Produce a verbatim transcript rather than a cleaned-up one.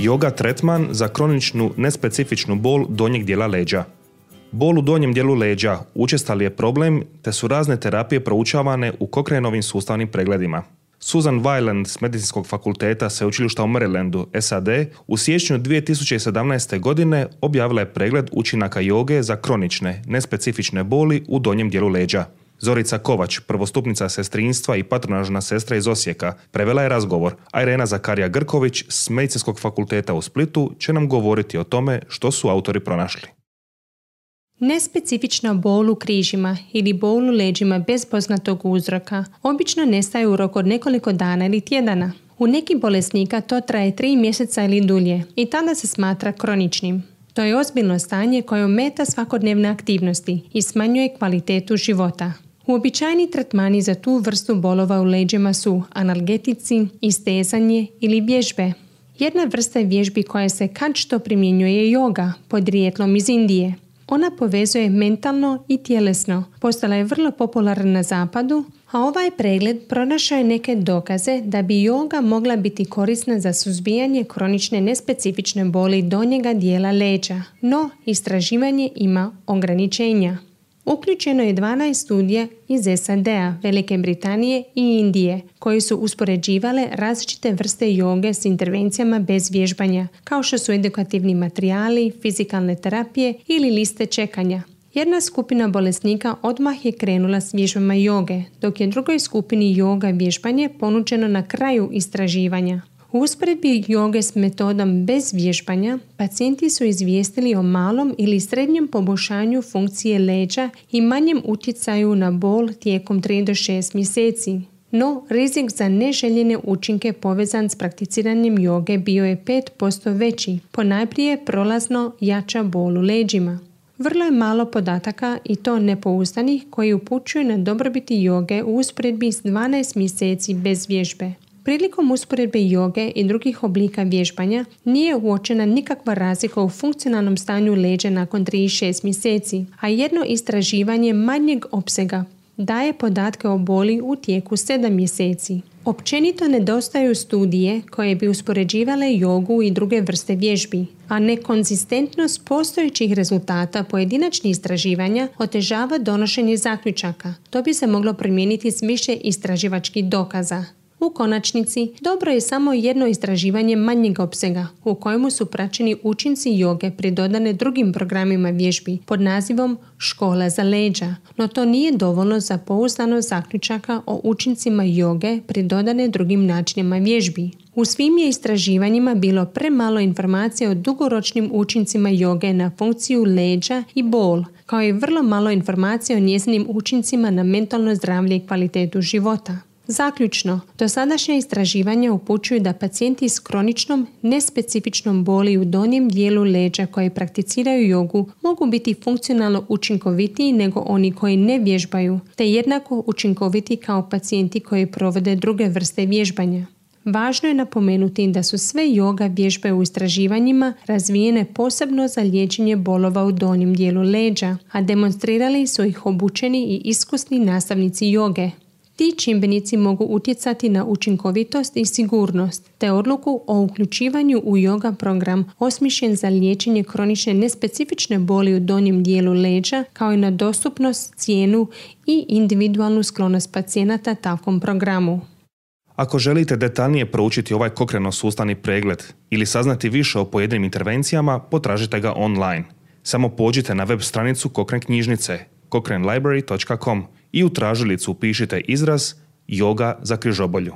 Yoga tretman za kroničnu nespecifičnu bol donjeg dijela leđa. Bol u donjem dijelu leđa učestali je problem, te su razne terapije proučavane u Cochraneovim sustavnim pregledima. Susan Weiland s Medicinskog fakulteta Sveučilišta u Marylandu, S A D, u siječnju dvije tisuće sedamnaeste. godine objavila je pregled učinaka joge za kronične, nespecifične boli u donjem dijelu leđa. Zorica Kovač, prvostupnica sestrinstva i patronažna sestra iz Osijeka, prevela je razgovor, a Irena Zakarija Grković s Medicinskog fakulteta u Splitu će nam govoriti o tome što su autori pronašli. Nespecifična bol u križima ili bol u leđima bez poznatog uzroka obično nestaje u roku od nekoliko dana ili tjedana. U nekih bolesnika to traje tri mjeseca ili dulje i tada se smatra kroničnim. To je ozbiljno stanje koje ometa svakodnevne aktivnosti i smanjuje kvalitetu života. Uobičajeni tretmani za tu vrstu bolova u leđima su analgetici, istezanje ili vježbe. Jedna vrsta vježbi koja se kad što primjenjuje je joga, podrijetlom iz Indije. Ona povezuje mentalno i tjelesno. Postala je vrlo popularna na zapadu, a ovaj pregled pronašao je neke dokaze da bi joga mogla biti korisna za suzbijanje kronične nespecifične boli donjega dijela leđa, no istraživanje ima ograničenja. Uključeno je dvanaest studija iz S A D-a, Velike Britanije i Indije, koje su uspoređivale različite vrste joge s intervencijama bez vježbanja, kao što su edukativni materijali, fizikalne terapije ili liste čekanja. Jedna skupina bolesnika odmah je krenula s vježbama joge, dok je drugoj skupini joga vježbanje ponuđeno na kraju istraživanja. U usporedbi joge s metodom bez vježbanja, pacijenti su izvijestili o malom ili srednjem poboljšanju funkcije leđa i manjem utjecaju na bol tijekom tri do šest mjeseci. No, rizik za neželjene učinke povezan s prakticiranjem joge bio je pet posto veći, ponajprije prolazno jača bol u leđima. Vrlo je malo podataka i to nepouzdanih koji upućuju na dobrobiti joge u usporedbi s dvanaest mjeseci bez vježbe. Prilikom usporedbe joge i drugih oblika vježbanja nije uočena nikakva razlika u funkcionalnom stanju leđa nakon tri do šest mjeseci, a jedno istraživanje manjeg opsega daje podatke o boli u tijeku sedam mjeseci. Općenito nedostaju studije koje bi uspoređivale jogu i druge vrste vježbi, a nekonzistentnost postojećih rezultata pojedinačnih istraživanja otežava donošenje zaključaka. To bi se moglo primijeniti s više istraživačkih dokaza. U konačnici, dobro je samo jedno istraživanje manjeg opsega u kojemu su praćeni učinci joge pridodane drugim programima vježbi pod nazivom Škola za leđa, no to nije dovoljno za pouzdano zaključaka o učincima joge pridodane drugim načinima vježbi. U svim je istraživanjima bilo premalo informacija o dugoročnim učincima joge na funkciju leđa i bol, kao i vrlo malo informacija o njezinim učincima na mentalno zdravlje i kvalitetu života. Zaključno, dosadašnja istraživanja upućuju da pacijenti s kroničnom, nespecifičnom boli u donjem dijelu leđa koji prakticiraju jogu mogu biti funkcionalno učinkovitiji nego oni koji ne vježbaju, te jednako učinkoviti kao pacijenti koji provode druge vrste vježbanja. Važno je napomenuti da su sve joga vježbe u istraživanjima razvijene posebno za liječenje bolova u donjem dijelu leđa, a demonstrirali su ih obučeni i iskusni nastavnici joge. Ti čimbenici mogu utjecati na učinkovitost i sigurnost, te odluku o uključivanju u joga program osmišljen za liječenje kronične nespecifične boli u donjem dijelu leđa, kao i na dostupnost, cijenu i individualnu sklonost pacijenata takvom programu. Ako želite detaljnije proučiti ovaj Cochraneov sustavni pregled ili saznati više o pojedinim intervencijama, potražite ga online. Samo pođite na web stranicu Cochrane knjižnice cochrane library dot com i u tražilicu upišite izraz joga za križobolju.